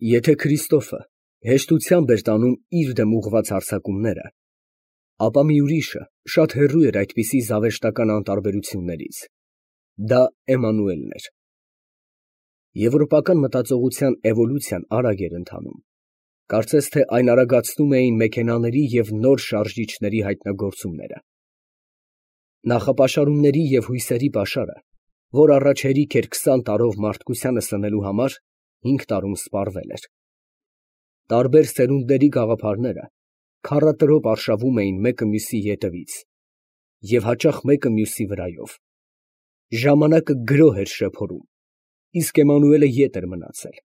Եթե Քրիստոֆը հեշտությամբ էր տանում իր դեմ ուղղված հարձակումները, ապա մի ուրիշը շատ հեռու էր այդպիսի զավեշտական անտարբերություններից. դա Էմմանուելն էր։ Եվրոպական մտածողության էվոլյուցիան արագ էր ընթանում, կարծես թե այն արագացնում էին մեքենաների և նոր շարժիչների հայտնագործումները։ Նախապաշարումների և հույսերի պաշարը, որ առաջ հերիք էր 20 տարով մարդկությանը սնելու համար, 5 տարում սպառվել էր։ Տարբեր սերունդների գաղափարները քառատրոպ արշավում էին մեկը մյուսի ետևից և հաճախ մեկը մյուսի վրայով։ Ժամանակը գրոհ էր շեփորում, իսկ Էմմանուելը ետ էր մնացել։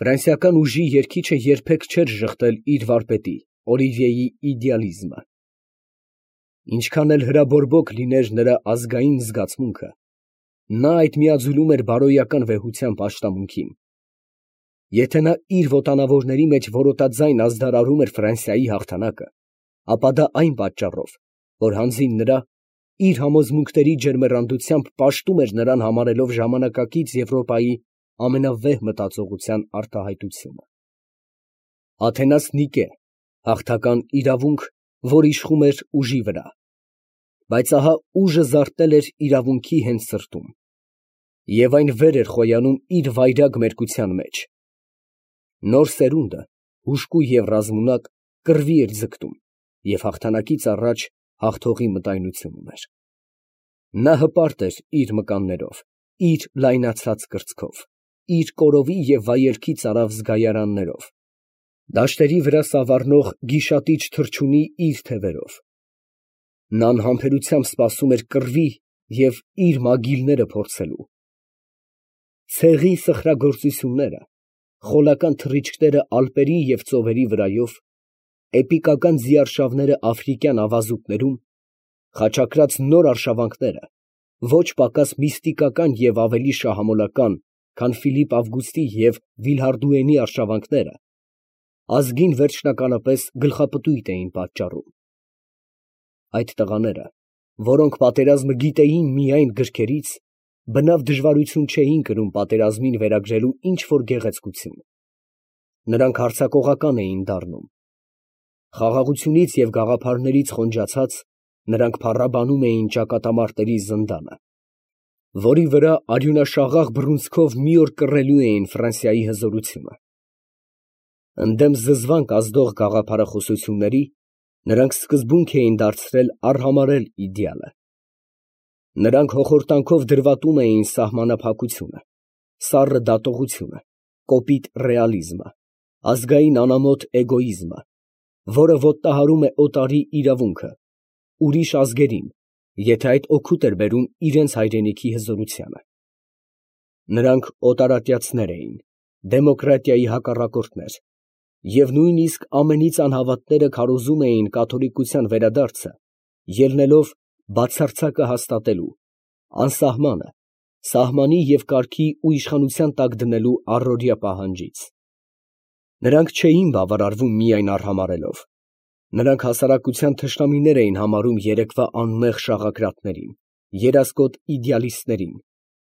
Ֆրանսիական ուժի երգիչը երբեք չէր ժխտել իր վարպետի՝ Օլիվիեի իդեալիզմը։ Ինչքան էլ հրաբորբոք լիներ նրա ազգային զգացմունքը, նա այդ միաձուլում էր բարոյական վեհության պաշտամունքին։ Եթե նա իր ոտանավորների մեջ որոտաձայն ազդարարում էր Ֆրանսիայի հաղթանակը, ապա դա այն պատճառով, որ հանձին նրա, իր համոզմունքների ջերմեռանդությամբ պաշտում էր նրան համարելով ժամանակակից Եվրոպայի ամենավեհ մտածողության արտահայտությունը։ Աթենաս Նիկե, հաղթական իրավունք, որ իշխում էր ուժի վրա, բայց ահա ուժը զարթնել էր իրավունքի հենց սրտում, և այն վեր էր խոյանում իր վայրագ մերկության մեջ։ Նոր սերունդը, հուժկու և ռազմունակ, կռվի էր ձգտում և հաղթանակից առաջ հաղթողի մտայնություն ուներ։ Նա հպարտ էր իր մկաններով, իր լայնացած կրծքով, իր կորովի և վայելքի ծարավ զգայարաններով, դաշտերի վրա սավառնող գիշատիչ թռչունի իր թևերով։ Նա անհամբերությամբ սպասում էր կռվի և իր մագիլները փորձելու։ Ցեղի սխրագործությունները, խոլական թռիչքները ալպերի և ծովերի վրայով, էպիկական ձիարշավները աֆրիկյան ավազուտներում, խաչակրաց նոր արշավանքները, ոչ պակաս միստիկական և ավելի շահամոլական, քան Ֆիլիպ Ավգուստի և Վիլհարդուենի արշավանքները, ազգին վերջնականապես գլխապտույտ էին պատճառում։ Այդ տղաները, որոնք պատերազմը գիտեին միայն գրքերից, բնավ դժվարություն չէին կրում պատերազմին վերագրելու ինչ֊որ գեղեցկություն։ Նրանք հարձակողական էին դառնում։ Խաղաղությունից և գաղափարներից խոնջացած, նրանք փառաբանում էին ճակատամարտերի զնդանը, որի վրա արյունաշաղախ բռունցքով մի օր կռելու էին Ֆրանսիայի հզորությունը։ Ընդդեմ զզվանք ազդող գաղափարախոսությունների նրանք սկզբունք էին դարձրել արհամարհել իդեալը։ Նրանք հոխորտանքով դրվատում էին սահմանափակությունը, սառը դատողությունը, կոպիտ ռեալիզմը, ազգային անամոթ էգոիզմը, որը ոտնահարում է օտարի իրավունքը, ուրիշ ազգերին, եթե այդ օգուտ էր բերում իրենց հայրենիքի հզորությանը։ Նրանք օտարատյացներ էին, դեմոկրատիայի հակառակորդներ, և նույնիսկ ամենից անհավատները քարոզում էին կաթոլիկության վերադարձը, ելնելով բացարձակը հաստատելու, անսահմանը, սահմանի և կարգի ու իշխանության տակ դնելու առօրյա պահանջից։ Նրանք չէին բավարարվում միայն արհամարհելով, նրանք հասարակության թշնամիներ էին համարում երեկվա անմեղ շաղակրատներին, երասկոտ իդեալիստներին,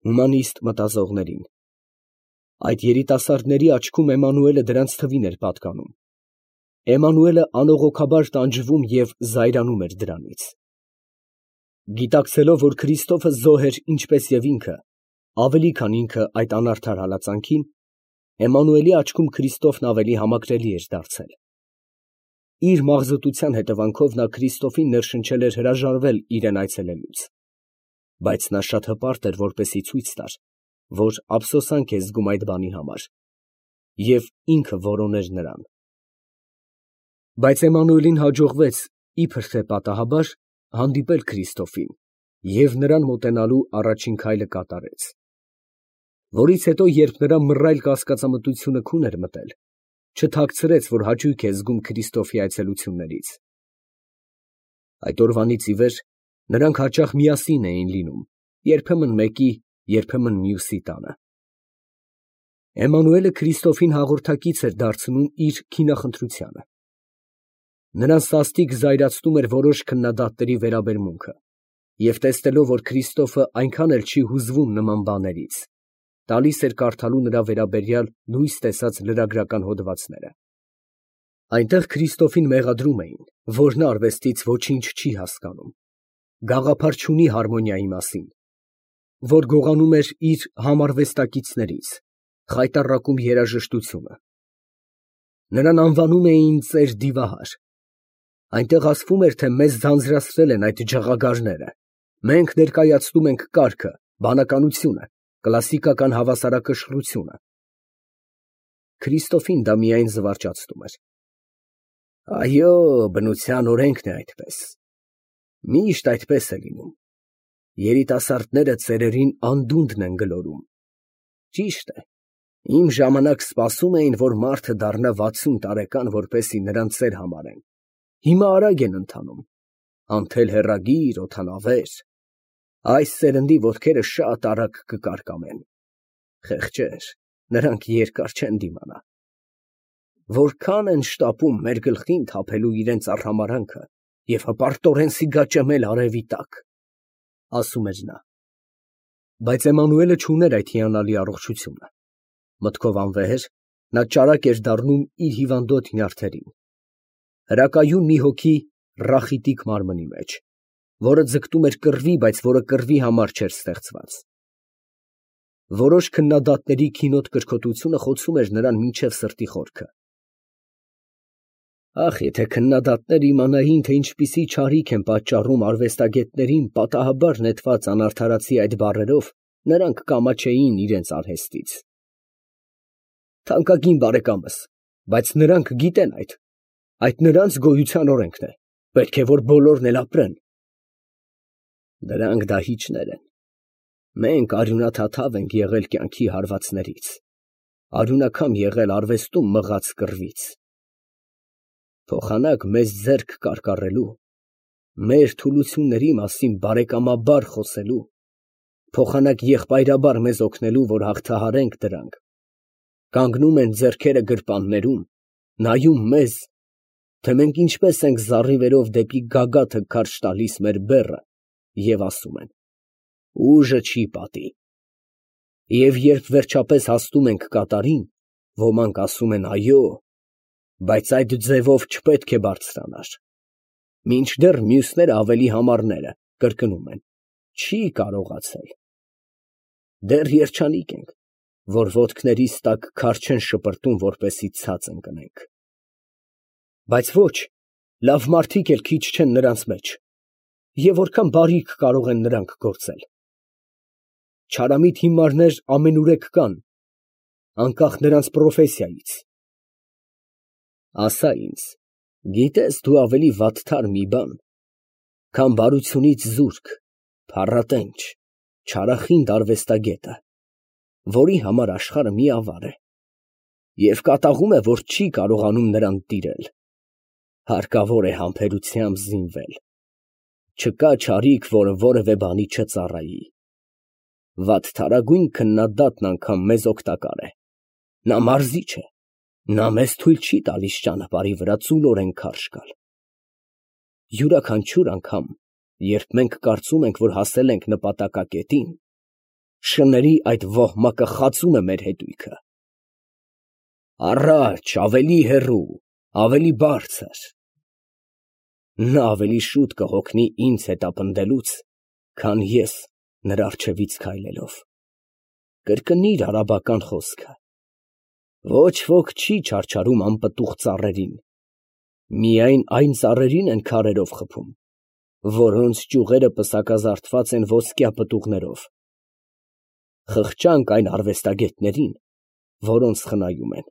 հումանիստ մտածողներին։ Այդ երիտասարդների աչքում Էմմանուելը դրանց թվին էր պատկանում։ Էմմանուելը անողոքաբար տանջվում և զայրանում էր դրանից։ Գիտակցելով, որ Քրիստոֆը զոհ էր ինչպես և ինքը, ավելի քան ինքը այդ անարդար հալածանքին, Էմմանուելի աչքում Քրիստոֆն ավելի համակրելի էր դարձել։ Իր մաղձոտության հետևանքով նա Քրիստոֆին ներշնչել էր հրաժարվել իրան այցելելուց, բայց նա շատ հպարտ էր, որպեսզի ցույց տար, որ ափսոսանք է զգում այդ բանի համար, և ինքը որոներ նրան։ Բայց Էմմանուելին հաջողվեց, իբր թե պատահաբար, հանդիպել Քրիստոֆին և նրան մոտենալու առաջին քայլը կատարեց, որից հետո, երբ նրա մռայլ կասկածամտությունը քուն էր մտել, չթաքցրեց, որ հաճույք է զգում Քրիստոֆի այցելություններից։ Այդ օրվանից ի վեր նրանք հաճախ միասին էին լինում, երբեմն մեկի, երբեմն մյուսի տանը։ Էմմանուելը Քրիստոֆին հաղորդակից էր դարձնում իր քինախնդրությանը։ Նրան սաստիկ զայրացնում էր որոշ քննադատների վերաբերմունքը, և տեսնելով, որ Քրիստոֆը այնքան էլ չի հուզվում նման բաներից, Տալիս էր կարդալու նրա վերաբերյալ լույս տեսած լրագրական հոդվածները։ Այնտեղ Քրիստոֆին մեղադրում էին, որ նա արվեստից ոչինչ չի հասկանում, գաղափար չունի հարմոնիայի մասին, որ գողանում էր իր համարվեստակիցներից, խայտառակում երաժշտությունը։ Նրան անվանում էին ծեր դիվահար։ Այնտեղ ասվում էր, թե մեզ ձանձրացրել են այդ ջղագարները, մենք ներկայացնում ենք կարգը, բանականությունը, կլասիկական հավասարակշռությունը։ Քրիստոֆին դա միայն զվարճացնում էր։ Այո, բնության օրենքն է այդպես։ Միշտ այդպես է լինում։ Երիտասարդները ծերերին անդունդն են գլորում։ Ճիշտ է, իմ ժամանակ սպասում էին, որ մարդը դառնա 60 տարեկան, որպեսզի նրան ծեր համարեն։ Հիմա արագ են ընթանում, անթել հեռագիր, օդանավեր, այս սերնդի ոտքերը շատ արագ կկարկամեն։ Խեղճեր, նրանք երկար չեն դիմանա։ Որքան են շտապում մեր գլխին թափելու իրենց արհամարանքը և հպարտորեն սիգաճեմել արևի տակ, ասում էր նա։ Բայց Էմանուելը չուներ այդ հիանալի առողջությունը։ Մտքով անվեհեր, նա ճարակ էր դառնում իր հիվանդոտ նյարդերին։ Հրակայուն մի հոգի ռախիտիկ մարմնի մեջ, որը ձգտում էր կռվի, բայց որը կռվի համար չէր ստեղծված։ Որոշ քննադատների քինոտ կրքոտությունը խոցում էր նրան մինչև սրտի խորքը։ Ախ, եթե քննադատները իմանային, թե ինչպիսի չարիք են պատճառում արվեստագետներին պատահաբար նետված անարդարացի այդ բառերով, նրանք կամաչեին իրենց արհեստից։ Թանկագին բարեկամս, բայց նրանք գիտեն այդ նրանց գոյության օրենքն է, պետք է որ բոլորն էլ ապրեն։ Դրանք դահիճներ են։ Մենք արյունաթաթավ ենք եղել կյանքի հարվածներից, արյունակամ եղել արվեստում մղած կռվից։ Փոխանակ մեզ ձեռք կարկառելու, մեր թուլությունների մասին բարեկամաբար խոսելու, փոխանակ եղբայրաբար մեզ օգնելու, որ հաղթահարենք դրանք, կանգնում են ձեռքերը գրպաններում, նայում մեզ, թե մենք ինչպես ենք զառիվերով դեպի գագաթը քարշ տալիս մեր բեռը և ասում են. ուժը չի պատի։ Եվ երբ վերջապես հասնում ենք կատարին, ոմանք ասում են այո, բայց այդ ձևով չպետք է բարձրանար։ Մինչդեռ մյուսները ավելի համառները կրկնում են. չի կարողացել։ Դեռ երջանիկ ենք, որ ոտքներիս տակ քար չեն շպրտում, որպեսզի ցած ընկնենք։ Բայց ոչ, լավ մարդիկ էլ քիչ չեն նրանց մեջ, և որքան բարիք կարող են նրանք գործել։ Չարամիտ հիմարներ ամենուրեք կան, անկախ նրանց պրոֆեսիայից։ Ասա ինձ, գիտես դու ավելի վատթար մի բան, քան բարությունից զուրկ, փառատենչ, չարախինդ արվեստագետը, որի համար աշխարհը մի ավար է, և կատաղում է, որ չի կարողանում նրան տիրել։ Հարկավոր է համբերությամբ զինվել։ Չկա չարիք, որը որևէ բանի չծառայի։ Վատթարագույն քննադատն անգամ մեզ օգտակար է։ Նա մարզիչ է, նա մեզ թույլ չի տալիս ճանապարհի վրա ծուլորեն քարշ գալ։ Յուրաքանչյուր անգամ, երբ մենք կարծում ենք, որ հասել ենք նպատակակետին, շների այդ ոհմակը խածում է մեր հետույքը։ Առաջ, ավելի հեռու, ավելի բարձր։ Նա ավելի շուտ կհոգնի ինձ հետապնդելուց, քան ես նրա առջևից քայլելով։ Կրկնիր արաբական խոսքը. ոչ ոք չի չարչարում անպտուղ ծառերին, միայն այն ծառերին են քարերով խփում, որոնց ճյուղերը պսակազարդված են ոսկյա պտուղներով։ Խղճանք այն արվեստագետներին, որոնց խնայում են։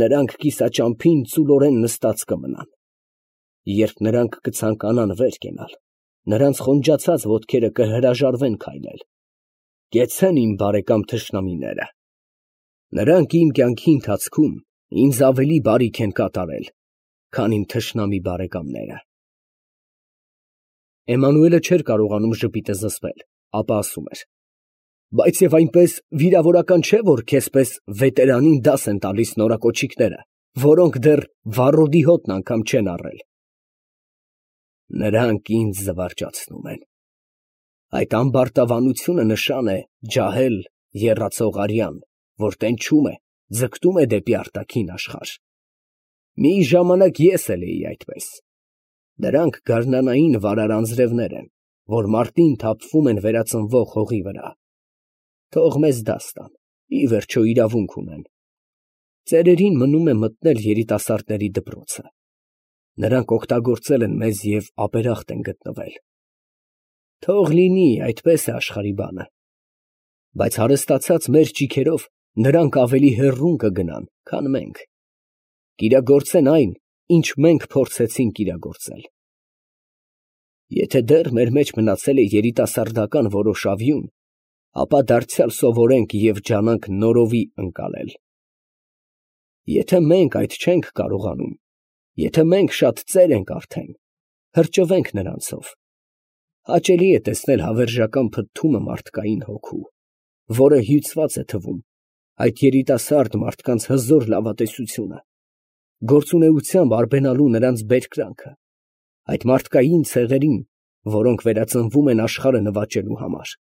Նրանք կիսաճամփին ծուլորեն նստած կմնան։ Երբ նրանք կցանկանան վեր կենալ, նրանց խոնջացած ոտքերը կհրաժարվեն քայլել։ Կեցցեն իմ բարեկամ թշնամիները։ Նրանք իմ կյանքի ընթացքում ինձ ավելի բարիք են կատարել, քան իմ թշնամի բարեկամները։ Էմանուելը չէր կարողանում ժպիտը զսպել, ապա ասում էր. բայց եւ այնպես վիրավորական չէ, որ քեզ պես վետերանին դաս են տալիս նորակոչիկները, որոնք դեռ վառոդի հոտն անգամ չեն առել։ Նրանք ինձ զվարճացնում են։ Այդ ամբարտավանությունը նշան է ջահել եռացող արյան, որ տենչում է, ձգտում է դեպի արտաքին աշխարհ։ Մի ժամանակ ես էլ էի այդպես։ Դրանք գարնանային վարար անձրևներ են, որ մարտին թափվում են վերածնվող հողի վրա։ Թող մեզ դաս տան, ի վերջո իրավունք ունեն։ Ծերերին մնում է մտնել երիտասարդների դպրոցը։ Նրանք օգտագործել են մեզ և ապերախտ են գտնվել։ Թող լինի, այդպես է աշխարհի բանը։ Բայց հարստացած մեր ճիգերով նրանք ավելի հեռուն կգնան, քան մենք։ Կիրագործեն այն, ինչ մենք փորձեցինք իրագործել։ Եթե դեռ մեր մեջ մնացել է երիտասարդական որոշ ավյուն, ապա դարձյալ սովորենք և ջանանք նորովի ընկալել։ Եթե մենք այդ չենք կարողանում, եթե մենք շատ ծեր ենք արդեն, հրճվենք նրանցով։ Հաճելի է տեսնել հավերժական փթթումը մարդկային հոգու, որը հյուծված է թվում, այդ երիտասարդ մարդկանց հզոր լավատեսությունը, գործունեությամբ արբենալու նրանց բերկրանքը, այդ մարդկային ցեղերին, որոնք վերածնվում են աշխարհը նվաճելու համար։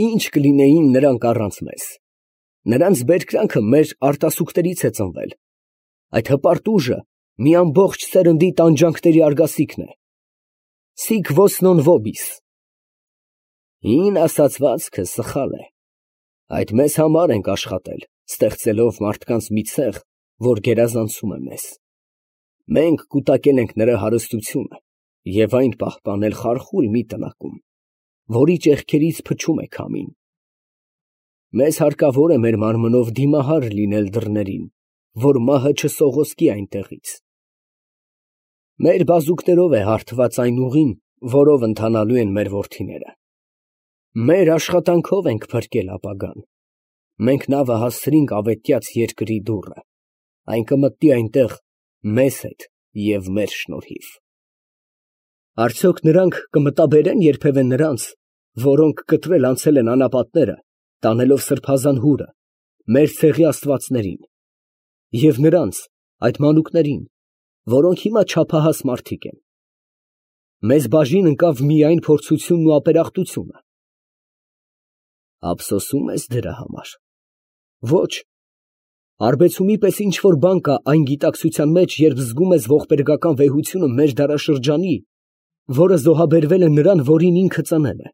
Ինչ կլինեին նրանք առանց մեզ։ Նրանց բերկրանքը մեր արտասուքներից է ծնվել։ Այդ հպարտ ուժը մի ամբողջ սերնդի տանջանքների արգասիքն է։ Sic vos non vobis։ Հին ասացվածքը սխալ է։ Այդ մեզ համար ենք աշխատել, ստեղծելով մարդկանց մի ցեղ, որ գերազանցում է մեզ։ Մենք կուտակել ենք նրա հարստությունը և այն պահպանել խարխուլ մի տնակում, որի ճեղքերից փչում է քամին։ Մեզ հարկավոր է մեր մարմնով դիմահար լինել դռներին, որ մահը չսողոսկի այնտեղից։ Մեր բազուկներով է հարթված այն ուղին, որով ընթանալու են մեր որդիները։ Մեր աշխատանքով ենք փրկել ապագան։ Մենք նավը հասցրինք ավետյաց երկրի դուռը, այն կմտնի այնտեղ մեզ հետ և մեր շնորհիվ։ Արդյոք նրանք կմտաբերեն երբևէ նրանց, որոնք կտրել անցել են անապատները, տանելով սրբազան հուրը, մեր ցեղի աստվածներին, և նրանց, այդ մանուկներին, որոնք հիմա չափահաս մարդիկ են։ Մեզ բաժին ընկավ միայն փորձությունն ու ապերախտությունը։ Ափսոսում ես դրա համար։ Ոչ, արբեցումի պես ինչ-որ բան կա այն գիտակցության մեջ, երբ զգում ես ողբերգական վեհությունը մեր դարաշրջանի, որը զոհաբերվել է նրան, որին ինքը ծնել է։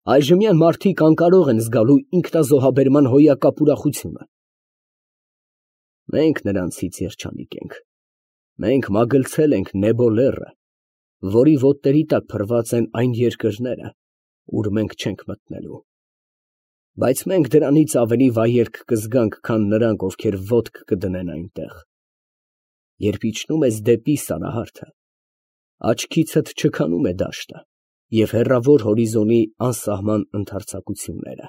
Այժմյան մարդիկ անկարող են զգալու ինքնազոհաբերման հոյակապ ուրախությունը։ Մենք նրանցից երջանիկ ենք։ Մենք մագլցել ենք Նեբո լեռը, որի ոտների տակ փռված են այն երկրները, ուր մենք չենք մտնելու։ Բայց մենք դրանից ավելի վայելք կզգանք, քան նրանք, ովքեր ոտք կդնեն այնտեղ։ Երբ իջնում ես դեպի Սարահարթը, աչքիցդ չքանում է դաշտը և հեռավոր հորիզոնի անսահման ընդարձակությունները։